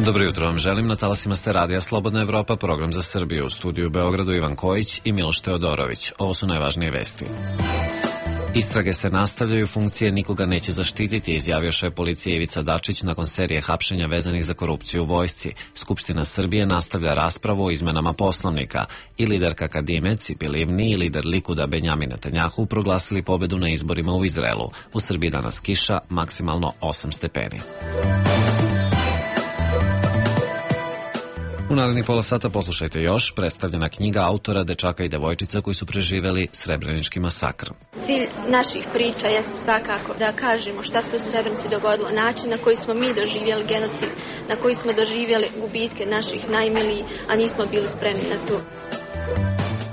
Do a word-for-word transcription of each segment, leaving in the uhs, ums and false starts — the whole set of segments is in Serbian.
Dobro jutro vam želim, na talasima ste Radija Slobodna Evropa, program za Srbiju. U studiju u Beogradu Ivan Kojić i Miloš Teodorović. Ovo su najvažnije vesti. Istrage se nastavljaju, funkcije nikoga neće zaštititi, izjavio šef policije Ivica Dačić nakon serije hapšenja vezanih za korupciju u vojsci. Skupština Srbije nastavlja raspravu o izmenama Poslovnika i liderka Kadime Cipi Livni i lider Likuda Benjamin Netanjahu proglasili pobedu na izborima u Izraelu. U Srbiji danas kiša, maksimalno osam stepeni. U narednih pola sata poslušajte još predstavljena knjiga autora Dečaka i devojčica koji su preživeli Srebrenički masakr. Cilj naših priča jeste svakako da kažemo šta se u Srebrenici dogodilo, način na koji smo mi doživjeli genocid, na koji smo doživjeli gubitke naših najmilijih, a nismo bili spremni na to.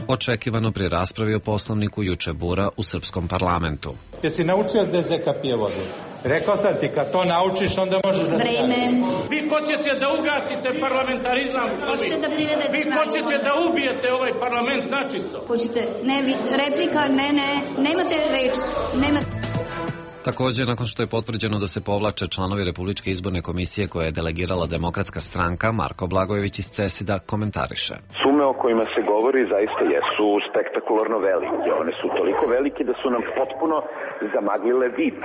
Očekivano pri raspravi o Poslovniku juče bura u srpskom parlamentu. Jesi naučio D Z K pije vodu? Rekao sam ti, kad to naučiš, onda možeš da Vreme. Vi hoćete da ugasite parlamentarizam. Hoćete da privedete Vi hoćete da ubijete ovaj parlament načisto. Hoćete, ne, vi, replika, ne, ne, nemate reč, nemate... Također, nakon što je potvrđeno da se povlače članovi Republičke izborne komisije koje je delegirala Demokratska stranka, Marko Blagojević iz CESID-a komentariše. Sume o kojima se govori zaista jesu spektakularno velike. One su toliko velike da su nam potpuno zamaglile vid.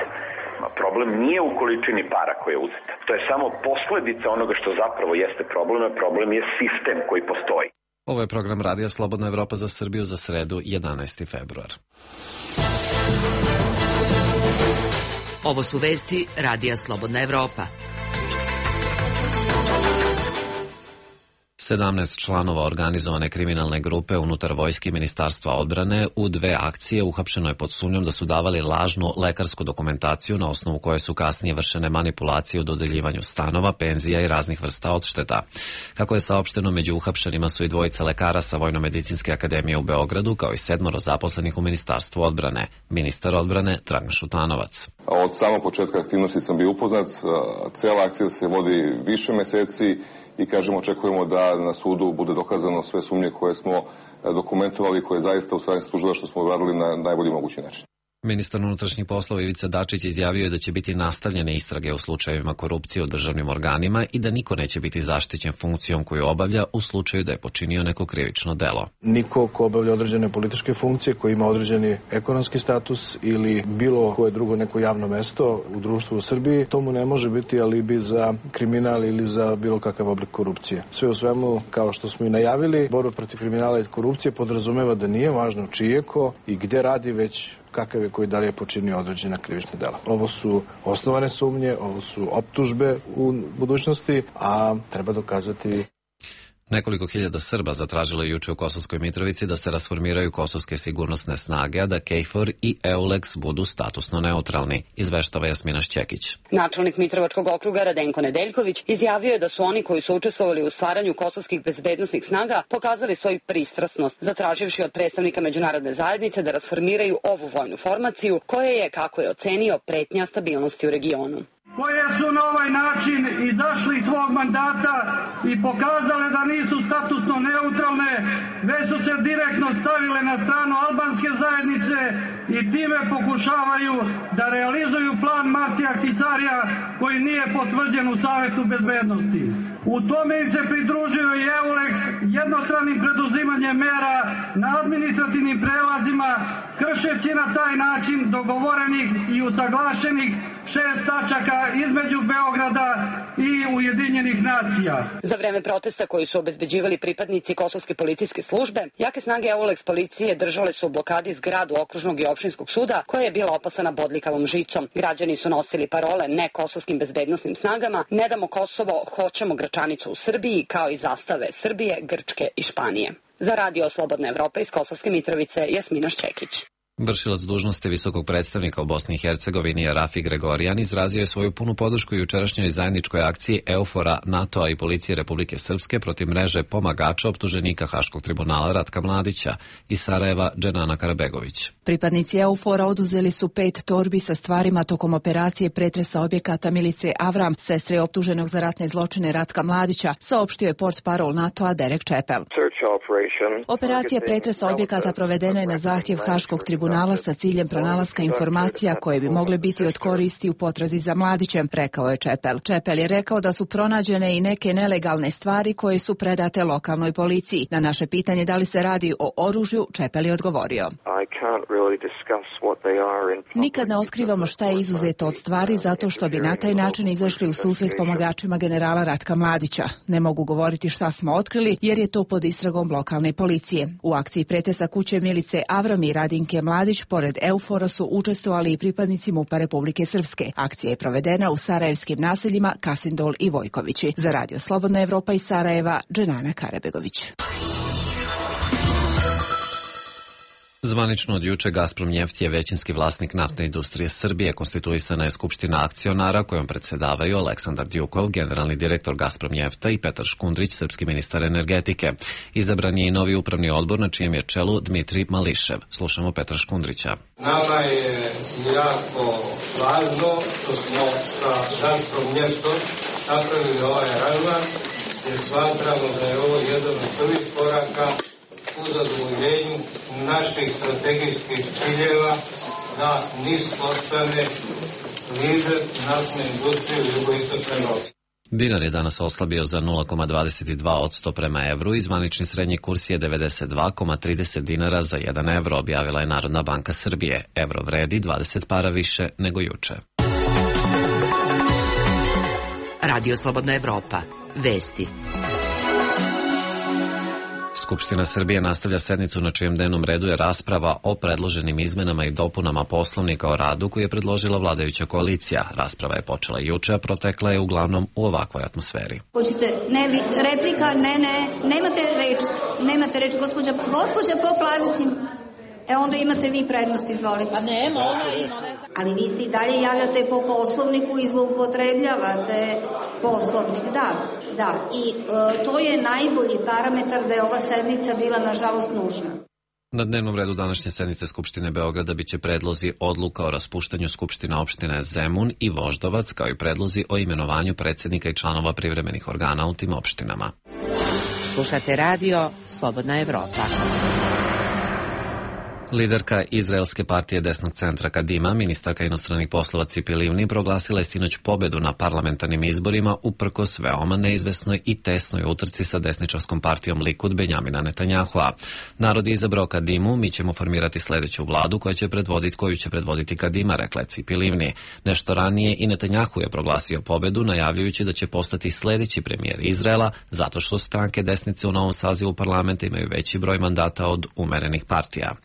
Problem nije u količini para koja je uzeta. To je samo posledica onoga što zapravo jeste problem, a problem je sistem koji postoji. Ovo je program Radija Slobodna Evropa za Srbiju za sredu jedanaesti februar. Ovo su vesti Radija Slobodna Evropa. sedamnaest članova organizovane kriminalne grupe unutar vojske Ministarstva odbrane u dve akcije uhapšeno je pod sumnjom da su davali lažnu lekarsku dokumentaciju na osnovu koje su kasnije vršene manipulacije u dodeljivanju stanova, penzija i raznih vrsta odšteta. Kako je saopšteno, među uhapšenima su i dvojica lekara sa Vojno-medicinske akademije u Beogradu, kao i sedmoro zaposlenih u Ministarstvu odbrane. Ministar odbrane Dragan Šutanovac. Od samog početka aktivnosti sam bio upoznat. Cela akcija se vodi više meseci i kažemo, očekujemo da na sudu bude dokazano sve sumnje koje smo dokumentovali, koje zaista u stvari služila što smo uradili na najbolji mogući način. Ministar unutrašnjih poslova Ivica Dačić izjavio je da će biti nastavljene istrage u slučajevima korupcije u državnim organima i da niko neće biti zaštićen funkcijom koju obavlja u slučaju da je počinio neko krivično delo. Niko ko obavlja određene političke funkcije, koji ima određeni ekonomski status ili bilo koje drugo neko javno mesto u društvu u Srbiji, tomu ne može biti alibi za kriminal ili za bilo kakav oblik korupcije. Sve u svemu, kao što smo i najavili, borba protiv kriminala i korupcije podrazumeva da nije važno čije ko i gde radi, već kakav je koji da li je počinio određena krivična dela. Ovo su osnovane sumnje, ovo su optužbe u budućnosti, a treba dokazati. Nekoliko hiljada Srba zatražilo je juče u Kosovskoj Mitrovici da se rasformiraju kosovske sigurnosne snage, a da KFOR i EULEX budu statusno neutralni, izveštava Jasmina Šćekić. Načelnik Mitrovačkog okruga Radenko Nedeljković izjavio je da su oni koji su učestvovali u stvaranju kosovskih bezbednosnih snaga pokazali svoju pristrasnost, zatraživši od predstavnika međunarodne zajednice da rasformiraju ovu vojnu formaciju, koja je, kako je ocenio, pretnja stabilnosti u regionu. Koje su na ovaj način izašli iz svog mandata i pokazale da nisu statusno neutralne, već su se direktno stavile na stranu albanske zajednice i time pokušavaju da realizuju plan Martija Ahtisarija koji nije potvrđen u Savetu bezbednosti. U tome im se pridružio i EULEX jednostranim preduzimanjem mera na administrativnim prelazima, kršeći na taj način dogovorenih i usaglašenih šest tačaka između Beograda i Ujedinjenih nacija. Za vreme protesta koji su obezbeđivali pripadnici kosovske policijske službe, jake snage EULEX policije držale su u blokadi zgradu okružnog i opštinskog suda, koja je bila opasana bodljikavom žicom. Građani su nosili parole ne kosovskim bezbednosnim snagama, ne damo Kosovo, hoćemo Gračanicu u Srbiji, kao i zastave Srbije, Grčke i Španije. Za Radio Slobodna Evropa iz Kosovske Mitrovice, Jasmina Šćekić. Vršilac dužnosti visokog predstavnika u Bosni i Hercegovini Rafi Gregorijan izrazio je svoju punu podršku jučerašnjoj zajedničkoj akciji EUFOR-a, NATO-a i Policije Republike Srpske protiv mreže pomagača optuženika Haškog tribunala Ratka Mladića i Sarajeva Dženana Karabegović. Pripadnici EUFOR-a oduzeli su pet torbi sa stvarima tokom operacije pretresa objekata milice Avram, sestre optuženog za ratne zločine Ratka Mladića, saopštio je portparol NATO-a Derek Čepel. Operacija pretresa objekata provedena je na zahtjev Haškog tribunala tribunala sa ciljem pronalaska informacija koje bi mogle biti od koristi u potrazi za Mladićem, rekao je Čepel. Čepel je rekao da su pronađene i neke nelegalne stvari koje su predate lokalnoj policiji. Na naše pitanje da li se radi o oružju, Čepel je odgovorio: nikad ne otkrivamo šta je izuzeto od stvari zato što bi na taj način izašli u susret pomagačima generala Ratka Mladića. Ne mogu govoriti šta smo otkrili jer je to pod istragom lokalne policije. U akciji pretesa kuće Milice Avram i Radinke Mladić pored Eufora su učestvovali i pripadnici MUP-a Republike Srpske. Akcija je provedena u sarajevskim naseljima Kasindol i Vojkovići. Za Radio Slobodna Evropa iz Sarajeva, Dženana Karabegović. Zvanično od juče Gazprom Neft je većinski vlasnik naftne industrije Srbije. Konstituisana je skupština akcionara kojom predsedavaju Aleksandar Djukov, generalni direktor Gazprom Njefta, i Petar Škundrić, srpski ministar energetike. Izabran je i novi upravni odbor na čijem je čelu Dmitrij Mališev. Slušamo Petra Škundrića. Nama je jako važno što smo sa Gazprom Njeftom napravili ovaj aranžman jer smatramo da je ovo jedan od prvih koraka u zadovoljenju naših strategijskih ciljeva da NIS postane lider naftne industrije u jugoistočnoj Evropi. Dinar je danas oslabio za nula zarez dvadeset dva posto prema evru i zvanični srednji kurs je devedeset dva zarez trideset dinara za jedan evro, objavila je Narodna banka Srbije. Evro vredi dvadeset para više nego juče. Radio Slobodna Evropa. Vesti. Skupština Srbije nastavlja sednicu na čijem dnevnom redu je rasprava o predloženim izmenama i dopunama Poslovnika o radu koji je predložila vladajuća koalicija. Rasprava je počela juče, a protekla je uglavnom u ovakvoj atmosferi. Hoćete, ne, vi, replika, ne, ne, nemate reč, nemate reč, gospođa, gospođa Poplazić, e onda imate vi prednost, izvolite. Pa nema, ona ima. Ali vi se i dalje javljate po Poslovniku i zloupotrebljavate Poslovnik, da. Da, i e, to je najbolji parametar da je ova sednica bila, nažalost, nužna. Na dnevnom redu današnje sednice Skupštine Beograda biće predlozi odluka o raspuštanju Skupština opštine Zemun i Voždovac, kao i predlozi o imenovanju predsjednika i članova privremenih organa u tim opštinama. Slušate radio Slobodna Evropa. Liderka Izraelske partije desnog centra Kadima, ministarka inostranih poslova Cipi Livni, proglasila je sinoć pobedu na parlamentarnim izborima uprkos veoma neizvesnoj i tesnoj utrci sa desničarskom partijom Likud Benjamina Netanjahua. Narod je izabrao Kadimu, mi ćemo formirati sledeću vladu koja će predvoditi, koju će predvoditi Kadima, rekla je Cipi Livni. Nešto ranije i Netanjahu je proglasio pobedu, najavljujući da će postati sledeći premijer Izraela, zato što stranke desnice u novom sazivu parlamenta imaju veći broj mandata od umerenih partija.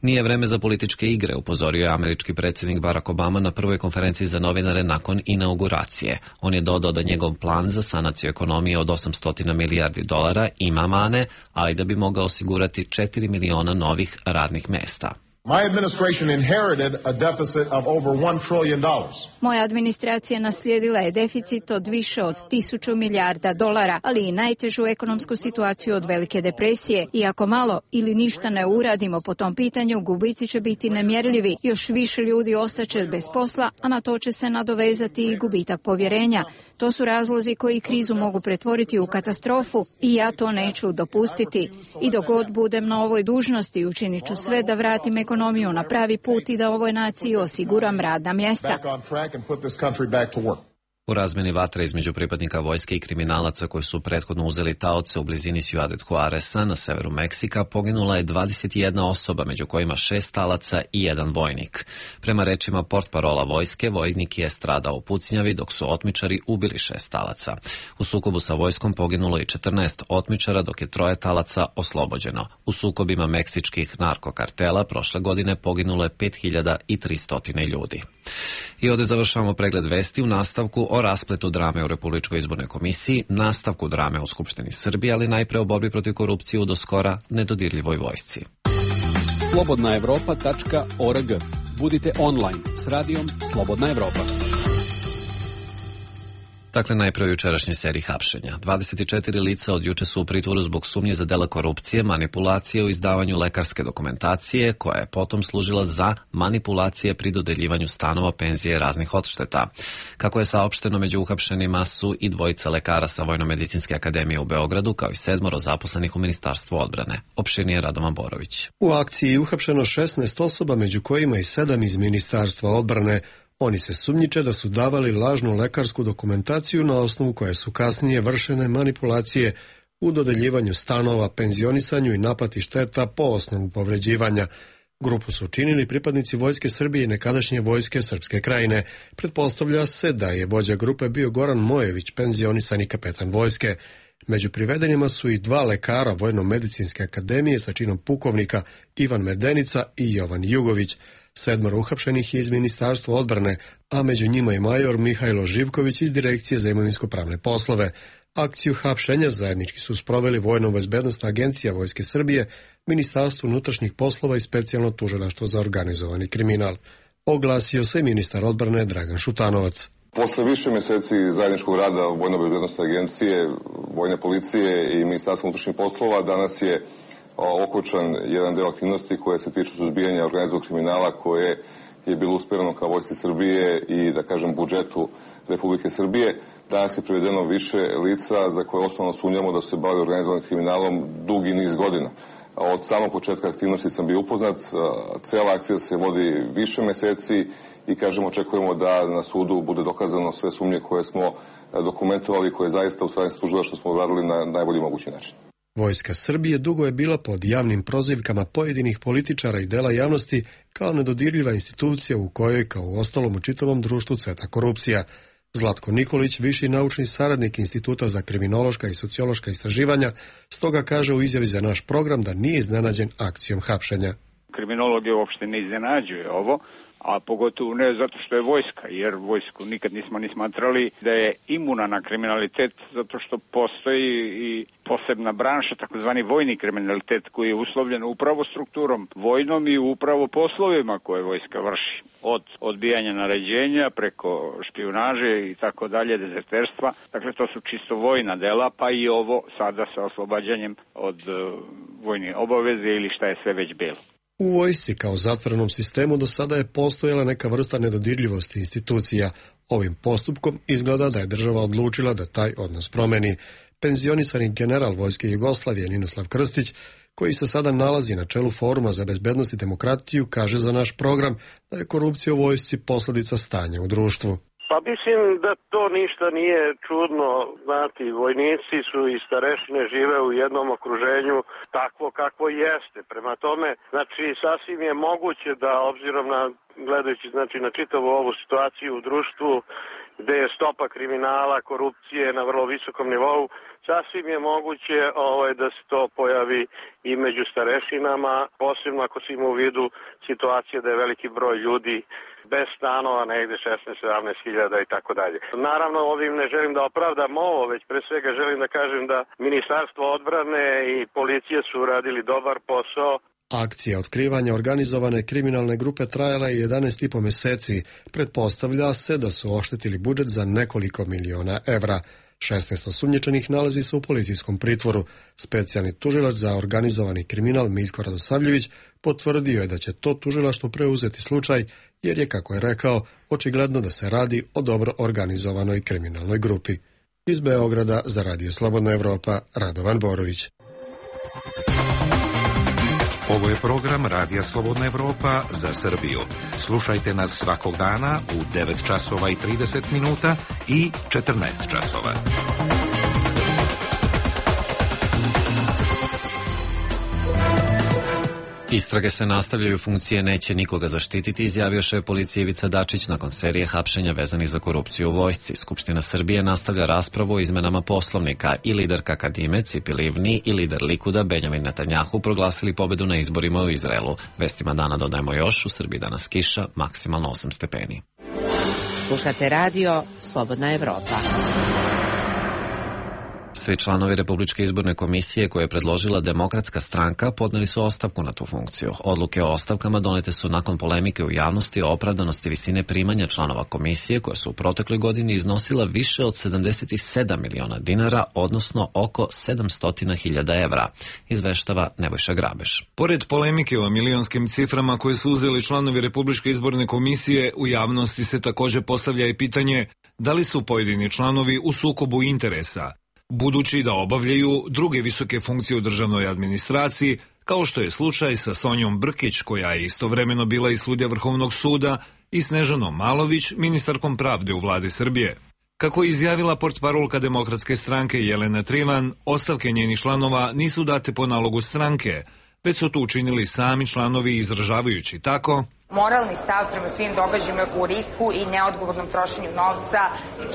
Nije vreme za političke igre, upozorio je američki predsjednik Barack Obama na prvoj konferenciji za novinare nakon inauguracije. On je dodao da njegov plan za sanaciju ekonomije od osamsto milijardi dolara ima mane, ali da bi mogao osigurati četiri miliona novih radnih mesta. My administration inherited a deficit of over one trillion dollars. Moja administracija naslijedila je deficit od više od tisuću milijarda dolara, ali i najtežu ekonomsku situaciju od velike depresije. I ako malo ili ništa ne uradimo po tom pitanju, gubici će biti nemjerljivi. Još više ljudi ostaće bez posla, a na to će se nadovezati i gubitak povjerenja. To su razlozi koji krizu mogu pretvoriti u katastrofu i ja to neću dopustiti. I dok god budem na ovoj dužnosti, učinit ću sve da vratim ekonomiju na pravi put i da ovoj naciji osiguram radna mjesta. U razmeni vatre između pripadnika vojske i kriminalaca koji su prethodno uzeli taoce u blizini Ciudad Juareza na severu Meksika poginula je dvadeset jedna osoba, među kojima šest talaca i jedan vojnik. Prema rečima portparola vojske, vojnik je stradao u pucnjavi dok su otmičari ubili šest talaca. U sukobu sa vojskom poginulo je četrnaest otmičara dok je troje talaca oslobođeno. U sukobima meksičkih narkokartela prošle godine poginulo je pet hiljada tristo ljudi. I ovdje završavamo pregled vesti u nastavku o raspletu drame u Republičkoj izbornoj komisiji, nastavku drame u Skupštini Srbije, ali najpre o borbi protiv korupcije u doskora nedodirljivoj vojsci. slobodna evropa tačka org. Budite online s radijom Slobodna Evropa. Dakle, najprve u jučerašnjoj seriji hapšenja. dvadeset četiri lica od juče su u pritvoru zbog sumnje za dela korupcije, manipulacije u izdavanju lekarske dokumentacije, koja je potom služila za manipulacije pri dodeljivanju stanova, penzije, raznih odšteta. Kako je saopšteno, među uhapšenima su i dvojica lekara sa Vojno-medicinske akademije u Beogradu, kao i sedmoro zaposlenih u Ministarstvu odbrane. Opširnije Radovan Borović. U akciji je uhapšeno šesnaest osoba, među kojima i sedam iz Ministarstva odbrane. Oni se sumnjiče da su davali lažnu lekarsku dokumentaciju na osnovu koje su kasnije vršene manipulacije u dodeljivanju stanova, penzionisanju i naplati šteta po osnovu povređivanja. Grupu su činili pripadnici Vojske Srbije i nekadašnje Vojske Srpske Krajine. Pretpostavlja se da je vođa grupe bio Goran Mojević, penzionisani kapetan vojske. Među privedenima su i dva lekara Vojno-medicinske akademije sa činom pukovnika, Ivan Medenica i Jovan Jugović. Sedmoro uhapšenih je iz Ministarstva odbrane, a među njima je major Mihajlo Živković iz Direkcije za imovinsko-pravne poslove. Akciju hapšenja zajednički su sproveli Vojno-bezbednosna agencija Vojske Srbije, Ministarstvo unutrašnjih poslova i specijalno tužilaštvo za organizovani kriminal. Oglasio se ministar odbrane Dragan Šutanovac. Posle više meseci zajedničkog rada Vojno-bezbednosne agencije, Vojne policije i Ministarstva unutrašnjih poslova, danas je okončan jedan deo aktivnosti koje se tiču suzbijanja organizovanog kriminala koje je bilo usmereno ka Vojsci Srbije i, da kažem, budžetu Republike Srbije. Danas je privedeno više lica za koje osnovno sumnjamo da su se bavili organizovanim kriminalom dugi niz godina. Od samog početka aktivnosti sam bio upoznat, cela akcija se vodi više meseci i, kažem, očekujemo da na sudu bude dokazano sve sumnje koje smo dokumentovali, koje zaista u stvari služila što smo uradili na najbolji mogući način. Vojska Srbije dugo je bila pod javnim prozivkama pojedinih političara i dela javnosti kao nedodirljiva institucija u kojoj, kao u ostalom u čitavom društvu, cveta korupcija. Zlatko Nikolić, viši naučni saradnik Instituta za kriminološka i sociološka istraživanja, stoga kaže u izjavi za naš program da nije iznenađen akcijom hapšenja. Kriminologe uopšte ne iznenađuje ovo, a pogotovo ne zato što je vojska, jer vojsku nikad nismo ni smatrali da je imuna na kriminalitet, zato što postoji i posebna branša, takozvani vojni kriminalitet, koji je uslovljen upravo strukturom vojnom i upravo poslovima koje vojska vrši. Od odbijanja naređenja preko špijunaže i tako dalje, dezerterstva. Dakle, to su čisto vojna dela, pa i ovo sada sa oslobađanjem od uh, vojne obaveze ili šta je sve već bilo. U vojsci kao zatvorenom sistemu do sada je postojala neka vrsta nedodirljivosti institucija. Ovim postupkom izgleda da je država odlučila da taj odnos promeni. Penzionisani general Vojske Jugoslavije Ninoslav Krstić, koji se sada nalazi na čelu Foruma za bezbednost i demokratiju, kaže za naš program da je korupcija u vojsci posljedica stanja u društvu. Pa mislim da to ništa nije čudno, znati, vojnici su i starešine žive u jednom okruženju takvo kakvo jeste. Prema tome, znači, sasvim je moguće da, obzirom na, gledajući znači, na čitavu ovu situaciju u društvu, gde je stopa kriminala, korupcije na vrlo visokom nivou, sasvim je moguće ovaj, da se to pojavi i među starešinama, posebno ako se ima u vidu situacije da je veliki broj ljudi bez stanova, negde šesnaest sedamnaest hiljada i tako dalje. Naravno, ovim ne želim da opravdam ovo, već pre svega želim da kažem da Ministarstvo odbrane i policije su uradili dobar posao. Akcija otkrivanja organizovane kriminalne grupe trajala je jedanaest i po meseci. Pretpostavlja se da su oštetili budžet za nekoliko miliona evra. šesnaest osumnjičenih nalazi se u policijskom pritvoru. Specijalni tužilac za organizovani kriminal Miljko Radosavljević potvrdio je da će to tužilaštvo preuzeti slučaj, jer je, kako je rekao, očigledno da se radi o dobro organizovanoj kriminalnoj grupi. Iz Beograda za Radio Slobodna Evropa, Radovan Borović. Ovo je program Radija Slobodna Evropa za Srbiju. Slušajte nas svakog dana u devet časova i trideset minuta i četrnaest časova. Istrage se nastavljaju, funkcije neće nikoga zaštititi, izjavio šef policije Ivica Dačić nakon serije hapšenja vezanih za korupciju u vojsci. Skupština Srbije nastavlja raspravu o izmenama Poslovnika i liderka Kadime Cipi Livni i lider Likuda Benjamin Netanjahu proglasili pobedu na izborima u Izraelu. Vestima dana dodajemo još, u Srbiji danas kiša, maksimalno osam stepeni. Slušate radio Slobodna Evropa. Svi članovi Republičke izborne komisije koje je predložila Demokratska stranka podneli su ostavku na tu funkciju. Odluke o ostavkama donete su nakon polemike u javnosti o opravdanosti visine primanja članova komisije koja su u protekloj godini iznosila više od sedamdeset sedam miliona dinara, odnosno oko sedamsto hiljada evra, izveštava Nebojša Grabeš. Pored polemike o milionskim ciframa koje su uzeli članovi Republičke izborne komisije, u javnosti se također postavlja i pitanje da li su pojedini članovi u sukobu interesa, budući da obavljaju druge visoke funkcije u državnoj administraciji, kao što je slučaj sa Sonjom Brkić, koja je istovremeno bila i sudija Vrhovnog suda, i Snežanom Malović, ministarkom pravde u vladi Srbije. Kako je izjavila portparolka Demokratske stranke Jelena Trivan, ostavke njenih članova nisu date po nalogu stranke, već su to učinili sami članovi izražavajući tako: moralni stav prema svim događajima u Riku i neodgovornom trošenju novca,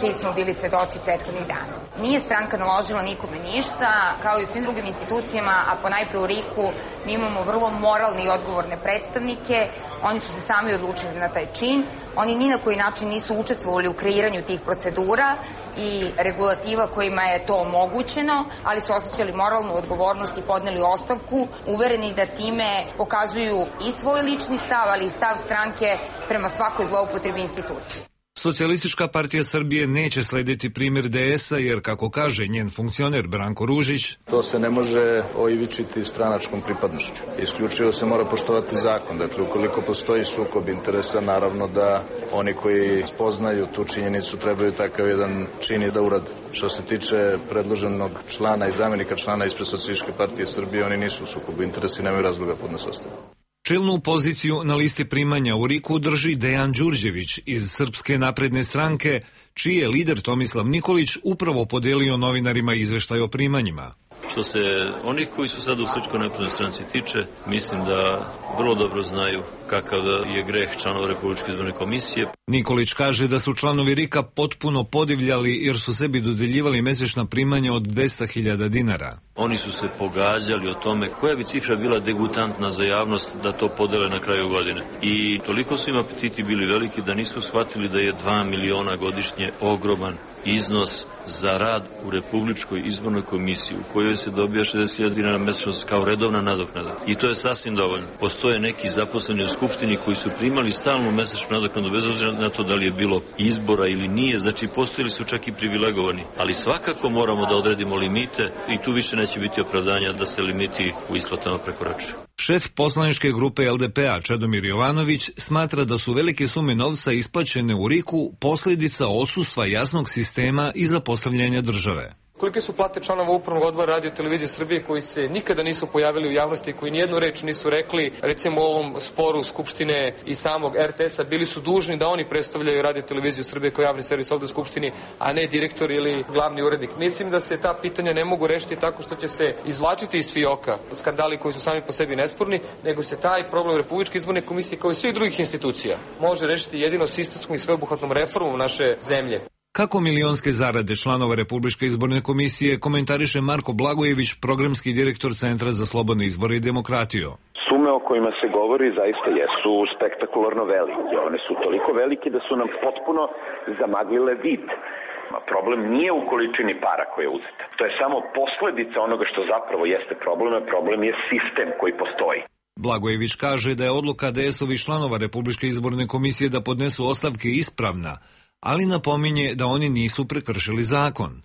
čiji smo bili svedoci prethodnih dana. Nije stranka naložila nikome ništa, kao i u svim drugim institucijama, a ponajpre u Riku mi imamo vrlo moralne i odgovorne predstavnike. Oni su se sami odlučili na taj čin. Oni ni na koji način nisu učestvovali u kreiranju tih procedura i regulativa kojima je to omogućeno, ali su osjećali moralnu odgovornost i podneli ostavku, uvereni da time pokazuju i svoj lični stav, ali i stav stranke prema svakoj zloupotrebi institucije. Socijalistička partija Srbije neće slediti primjer D S-a jer, kako kaže njen funkcioner Branko Ružić, to se ne može oivičiti stranačkom pripadnošću. Isključivo se mora poštovati zakon. Dakle, ukoliko postoji sukob interesa, naravno da oni koji spoznaju tu činjenicu trebaju takav jedan čin i da urade. Što se tiče predloženog člana i zamjenika člana ispred Socijalističke partije Srbije, oni nisu u sukobu interesa i nemaju razloga podnesu ostavku. Čelnu poziciju na listi primanja u Riku drži Dejan Đurđević iz Srpske napredne stranke, čiji je lider Tomislav Nikolić upravo podelio novinarima izveštaj o primanjima. Što se onih koji su sad u Srpskoj naprednoj stranci tiče, mislim da vrlo dobro znaju kakav je greh članova Republičke izborne komisije. Nikolić kaže da su članovi Rika potpuno podivljali jer su sebi dodeljivali mesečna primanja od dvesta hiljada dinara. Oni su se pogađali o tome koja bi cifra bila degutantna za javnost da to podele na kraju godine. I toliko su im apetiti bili veliki da nisu shvatili da je dva miliona godišnje ogroman iznos za rad u Republičkoj izbornoj komisiji u kojoj se dobija šezdeset hiljada dinara mesečno kao redovna nadoknada. I to je sasvim dovoljno. Postoje neki zaposleni u Skupštini koji su primali stalnu mesečnu nadoknadu bez obzira na to da li je bilo izbora ili nije. Znači, postojili su čak i privilegovani. Ali svakako moramo da odredimo limite i tu više neće biti opravdanja da se limiti u isplatama prekoračuju. Šef poslaničke grupe L D P-a Čedomir Jovanović smatra da su velike sume novca isplaćene u Riku posljedica odsustva jasnog sistema i zapostavljanja države. Kolike su plate članova upravnog odbora Radio Televizije Srbije koji se nikada nisu pojavili u javnosti, koji nijednu reč nisu rekli, recimo u ovom sporu Skupštine i samog R T S-a, bili su dužni da oni predstavljaju Radio Televiziju Srbije kao javni servis ovde u Skupštini, a ne direktor ili glavni urednik. Mislim da se ta pitanja ne mogu rešiti tako što će se izvlačiti iz fioka skandali koji su sami po sebi nesporni, nego se taj problem Republičke izborne komisije kao i svih drugih institucija može rešiti jedino sistemskom i sveobuhvatnom reformom naše zemlje. Kako milionske zarade članova Republičke izborne komisije komentariše Marko Blagojević, programski direktor Centra za slobodne izbore i demokratiju. Sume o kojima se govori zaista jesu spektakularno velike. One su toliko velike da su nam potpuno zamaglile vid. Problem nije u količini para koja je uzeta. To je samo posledica onoga što zapravo jeste problem, a problem je sistem koji postoji. Blagojević kaže da je odluka D S-ovih članova Republičke izborne komisije da podnesu ostavke ispravna, ali napominje da oni nisu prekršili zakon.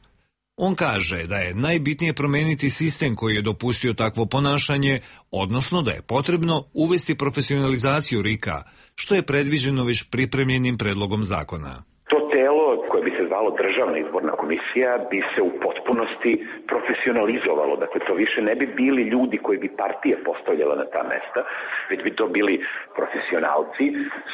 On kaže da je najbitnije promeniti sistem koji je dopustio takvo ponašanje, odnosno da je potrebno uvesti profesionalizaciju Rika, što je predviđeno već pripremljenim predlogom zakona. To telo koje bi se zvalo Državna izborna komisija bi se u potpunosti profesionalizovalo. Dakle, to više ne bi bili ljudi koji bi partije postavljala na ta mesta, već bi to bili profesionalci,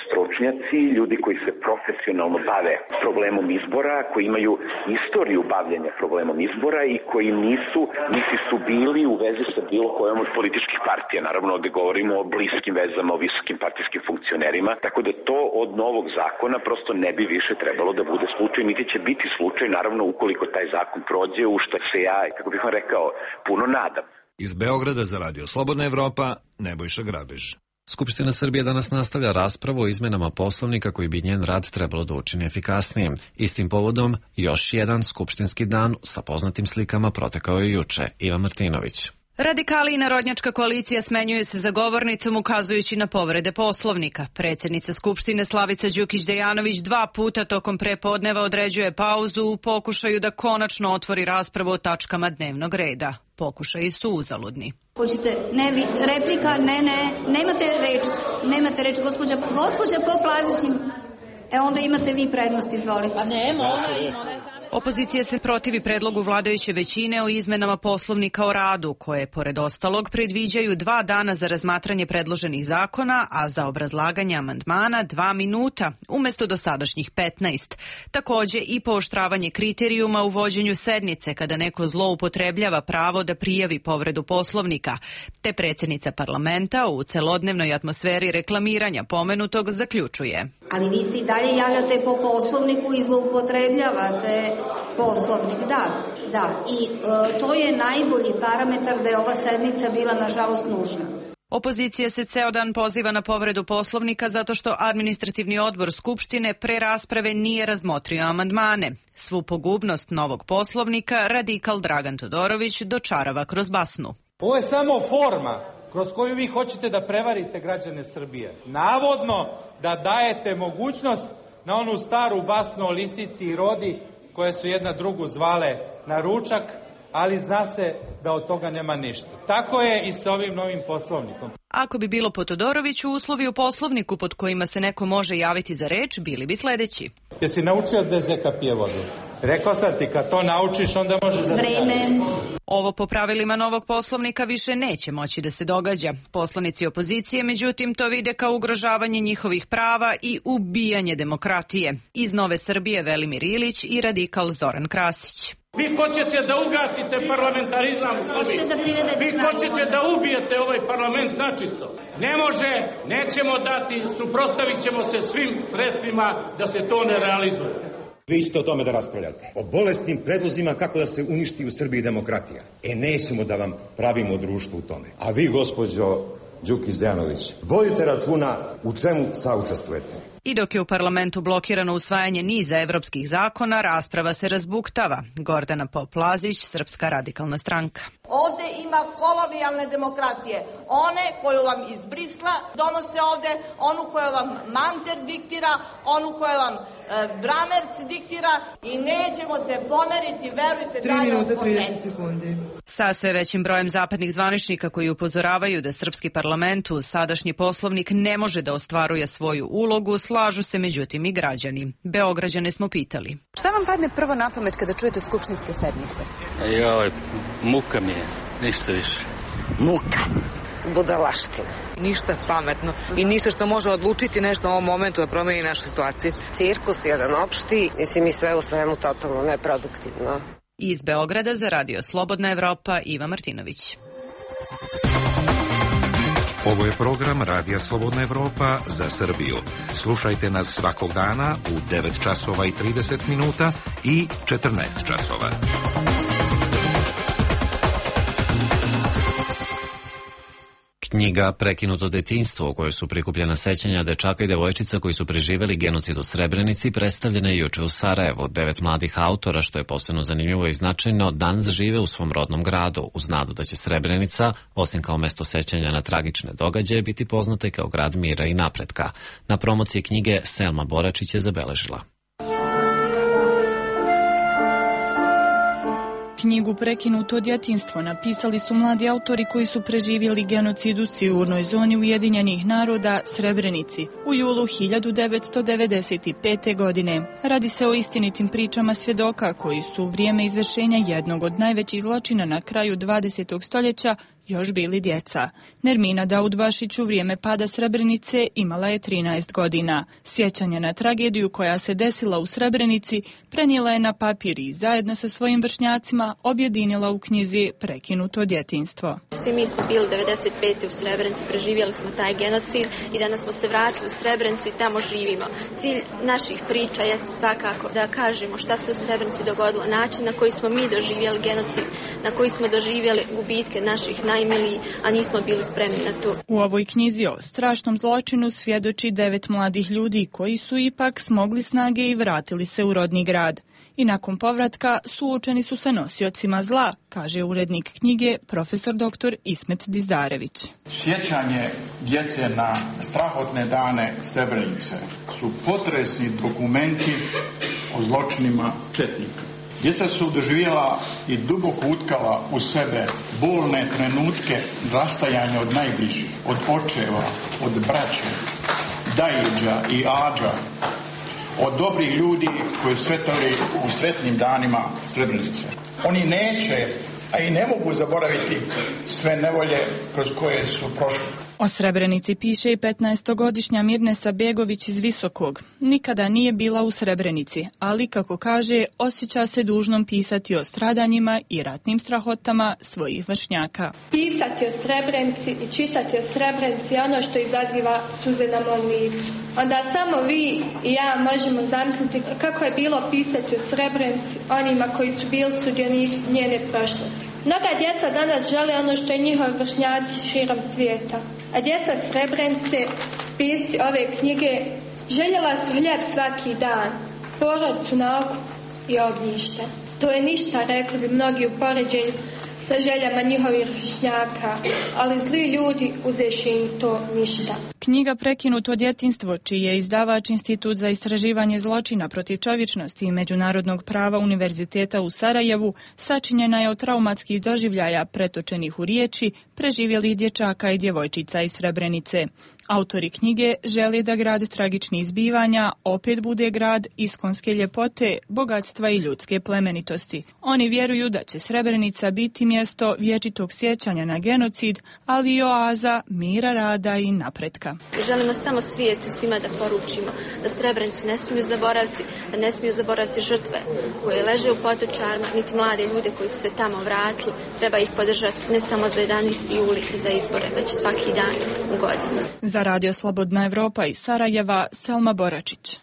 stručnjaci, ljudi koji se profesionalno bave problemom izbora, koji imaju istoriju bavljenja problemom izbora i koji nisu, niti su bili u vezi sa bilo kojom od političkih partija. Naravno, ovde govorimo o bliskim vezama, o visokim partijskim funkcionerima, tako da to od novog zakona prosto ne bi više trebalo da bude slučaj, niti će biti slučaj, naravno, ukoliko taj zakon prođe, u što se ja, kako bih vam rekao, puno nadam. Iz Beograda za Radio Slobodna Evropa, Nebojša Grabež. Skupština Srbije danas nastavlja raspravu o izmenama Poslovnika koji bi njen rad trebalo da učini efikasnijim. Istim povodom, još jedan skupštinski dan sa poznatim slikama protekao je juče. Iva Martinović. Radikali i Narodnjačka koalicija smenjuje se za govornicom ukazujući na povrede Poslovnika. Predsjednica Skupštine Slavica Đukić-Dejanović dva puta tokom prepodneva određuje pauzu u pokušaju da konačno otvori raspravu o tačkama dnevnog reda. Pokušaji su uzaludni. Hoćete, ne, vi, replika, ne, ne, nemate reč, nemate reč, gospođa, gospođa Poplazić, e onda imate vi prednost, izvolite. Pa nema, ona ima. Opozicija se protivi predlogu vladajuće većine o izmenama Poslovnika o radu, koje, pored ostalog, predviđaju dva dana za razmatranje predloženih zakona, a za obrazlaganje amandmana dva minuta, umjesto dosadašnjih petnaest. Takođe i pooštravanje kriterijuma u vođenju sednice kada neko zloupotrebljava pravo da prijavi povredu Poslovnika, te predsjednica parlamenta u celodnevnoj atmosferi reklamiranja pomenutog zaključuje. Ali vi se i dalje javljate po Poslovniku i zloupotrebljavate Poslovnik, da, da. I e, to je najbolji parametar da je ova sednica bila, nažalost, nužna. Opozicija se ceo dan poziva na povredu Poslovnika zato što administrativni odbor Skupštine pre rasprave nije razmotrio amandmane. Svu pogubnost novog Poslovnika radikal Dragan Todorović dočarava kroz basnu. Ovo je samo forma kroz koju vi hoćete da prevarite građane Srbije. Navodno da dajete mogućnost na onu staru basnu o lisici i rodi koje su jedna drugu zvale na ručak, ali zna se da od toga nema ništa. Tako je i sa ovim novim Poslovnikom. Ako bi bilo po Todoroviću, uslovi u Poslovniku pod kojima se neko može javiti za reč bili bi sledeći. Jesi naučio da Zeka pije vodu? Rekao sam ti, kad to naučiš, onda možeš da Vreme. Ovo po pravilima novog Poslovnika više neće moći da se događa. Poslanici opozicije, međutim, to vide kao ugrožavanje njihovih prava i ubijanje demokratije. Iz Nove Srbije Velimir Ilić i radikal Zoran Krasić. Vi hoćete da ugasite parlamentarizam, da vi hoćete da ubijete ovaj parlament načisto. Ne može, nećemo dati, suprotstavit ćemo se svim sredstvima da se to ne realizuje. Vi ćete o tome da raspravljate. O bolesnim predlozima kako da se uništi u Srbiji demokratija. E, nećemo da vam pravimo društvo u tome. A vi, gospođo Đukić-Dejanović, vodite računa u čemu saučestvujete. I dok je u parlamentu blokirano usvajanje niza evropskih zakona, rasprava se razbuktava. Gordana Poplazić, Srpska radikalna stranka. Ovde ima kolonijalne demokratije. One koju vam iz Brisla donose ovde, onu koju vam Manter diktira, onu koju vam e, Bramerc diktira i nećemo se pomeriti, verujte, dalje od početka. Sa sve većim brojem zapadnih zvaničnika koji upozoravaju da srpski parlament u sadašnji Poslovnik ne može da ostvaruje svoju ulogu, slažu se međutim i građani. Beograđane smo pitali. Šta vam padne prvo na pamet kada čujete skupštinske sednice? Joj, muka mi je, ništa više. Muka. Budalaština. Ništa pametno i ništa što može odlučiti nešto u ovom momentu da promeni našu situaciju. Cirkus jedan opšti, mislim i sve u svemu totalno neproduktivno. Iz Beograda za Radio Slobodna Evropa, Iva Martinović. Ovo je program Radija Slobodna Evropa za Srbiju. Slušajte nas svakog dana u devet časova i trideset minuta i četrnaest časova. Knjiga Prekinuto detinjstvo, u kojoj su prikupljena sećanja dečaka i devojčica koji su preživeli genocid u Srebrenici, predstavljena je juče u Sarajevu. Devet mladih autora, što je posebno zanimljivo i značajno, danas žive u svom rodnom gradu, uz nadu da će Srebrenica, osim kao mesto sećanja na tragične događaje, biti poznata i kao grad mira i napretka. Na promociji knjige Selma Boračić je zabeležila. Knjigu Prekinuto djetinjstvo napisali su mladi autori koji su preživjeli genocid u sigurnoj zoni Ujedinjenih naroda Srebrenici u julu hiljadu devetsto devedeset pete. godine. Radi se o istinitim pričama svjedoka koji su u vrijeme izvršenja jednog od najvećih zločina na kraju dvadesetog stoljeća još bili djeca. Nermina Daudbašić u vrijeme pada Srebrenice imala je trinaest godina. Sjećanje na tragediju koja se desila u Srebrenici prenijela je na papir i zajedno sa svojim vršnjacima objedinila u knjizi Prekinuto djetinjstvo. Svi mi smo bili devedeset pete u Srebrenici, preživjeli smo taj genocid i danas smo se vratili u Srebrenicu i tamo živimo. Cilj naših priča jeste svakako da kažemo šta se u Srebrenici dogodilo, način na koji smo mi doživjeli genocid, na koji smo doživjeli gubitke naših najmilijih, a nismo bili spremni na to. U ovoj knjizi o strašnom zločinu svjedoči devet mladih ljudi koji su ipak smogli snage i vratili se u rodni grad. I nakon povratka suočeni su sa nosiocima zla, kaže urednik knjige profesor doktor Ismet Dizdarević. Sjećanje djece na strahotne dane Srebrenice su potresni dokumenti o zločinima četnika. Djeca su doživjela i duboko utkala u sebe bolne trenutke rastajanja od najbližih, od očeva, od braće, dajiđa i ađa, od dobrih ljudi koji su svetali u sretnim danima Srebrenice. Oni neće, a i ne mogu zaboraviti sve nevolje kroz koje su prošli. O Srebrenici piše i petnaestogodišnja Mirnesa Begović iz Visokog. Nikada nije bila u Srebrenici, ali, kako kaže, osjeća se dužnom pisati o stradanjima i ratnim strahotama svojih vršnjaka. Pisati o Srebrenici i čitati o Srebrenici je ono što izaziva suze na mom licu. Onda samo vi i ja možemo zamisliti kako je bilo pisati o Srebrenici onima koji su bili sudionici njene prošlosti. Mnoga djeca danas žele ono što i njihovi vršnjaci širom svijeta. A djeca Srebrenice, pisci ove knjige, željela su hljeb svaki dan, porodicu na oku i ognjište. To je ništa, rekli bi mnogi u poređenju sa željama njihovih vršnjaka, ali zli ljudi uzeši im to ništa. Knjiga Prekinuto djetinjstvo, čiji je izdavač Institut za istraživanje zločina protiv čovječnosti i međunarodnog prava Univerziteta u Sarajevu, sačinjena je od traumatskih doživljaja pretočenih u riječi preživjelih dječaka i djevojčica iz Srebrenice. Autori knjige žele da grad tragičnih zbivanja opet bude grad iskonske ljepote, bogatstva i ljudske plemenitosti. Oni vjeruju da će Srebrenica biti mjesto vječitog sjećanja na genocid, ali i oaza mira, rada i napretka. Želimo samo svijetu svima da poručimo da Srebrenicu ne smiju zaboraviti, da ne smiju zaboraviti žrtve koje leže u potočarima, niti mlade ljude koji su se tamo vratili. Treba ih podržati ne samo za jedanaesti juli i za izbore, već svaki dan u godini. Za Radio Slobodna Evropa iz Sarajeva, Selma Boračić.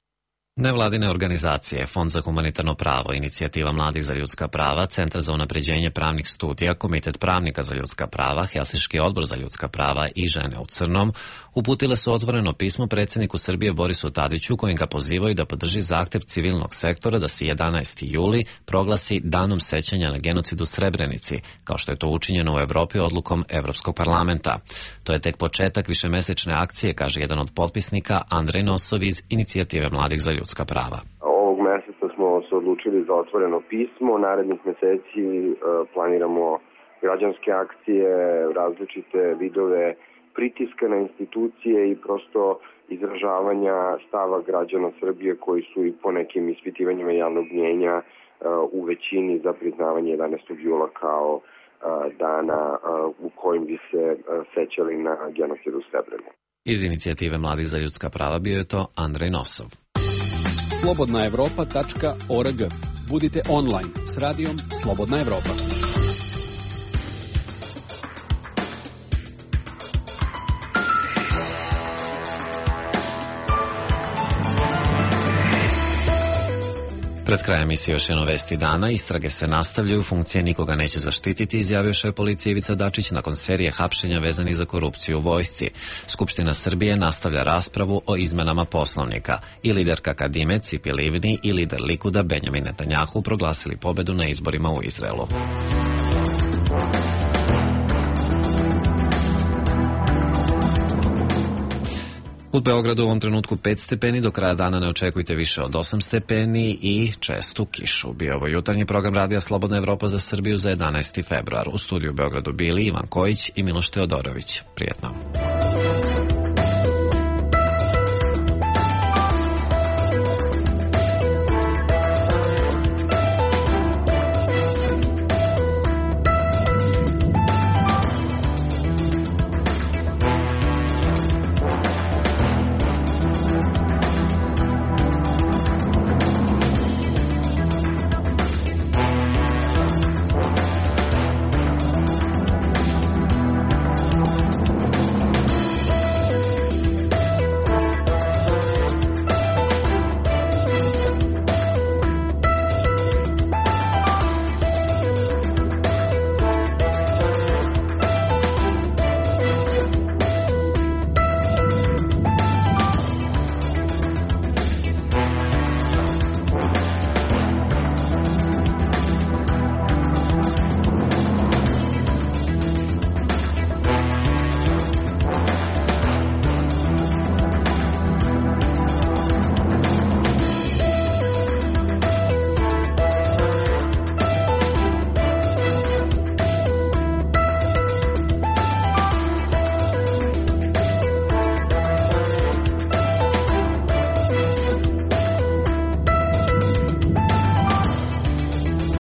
Nevladine organizacije, Fond za humanitarno pravo, Inicijativa mladih za ljudska prava, Centar za unapređenje pravnih studija, Komitet pravnika za ljudska prava, Helsinški odbor za ljudska prava i Žene u crnom uputile su otvoreno pismo predsjedniku Srbije Borisu Tadiću kojim ga pozivaju da podrži zahtjev civilnog sektora da se jedanaesti juli proglasi danom sećanja na genocid u Srebrenici, kao što je to učinjeno u Evropi odlukom Evropskog parlamenta. To je tek početak višemesečne akcije, kaže jedan od potpisnika, Andrej Nosov iz Inicijative mladih za ljudska prava. Ovog mjeseca smo se odlučili za otvoreno pismo. Narednih mjeseci planiramo građanske akcije, različite vidove pritiska na institucije i prosto izražavanja stava građana Srbije koji su i po nekim ispitivanjima javnog mnjenja u većini za priznavanje jedanaestog jula kao dana u kojim bi se sećali na genocid u Srebrenici. Iz Inicijative mladih za ljudska prava bio je to Andrej Nosov. slobodna evropa tačka org. Budite online s radijom Slobodna Evropa. Pred krajem emisije još jedno vesti dana. Istrage se nastavljaju, funkcije nikoga neće zaštititi, izjavio šef policije Ivica Dačić nakon serije hapšenja vezanih za korupciju u vojsci. Skupština Srbije nastavlja raspravu o izmenama Poslovnika. I liderka Kadime Cipi Livni i lider Likuda Benjamin Netanjahu proglasili pobedu na izborima u Izraelu. U Beogradu u ovom trenutku pet stepeni, do kraja dana ne očekujte više od osam stepeni i čestu kišu. Bio ovo jutarnji program Radija Slobodna Evropa za Srbiju za jedanaesti februar. U studiju u Beogradu bili Ivan Kojić i Miloš Teodorović. Prijetno.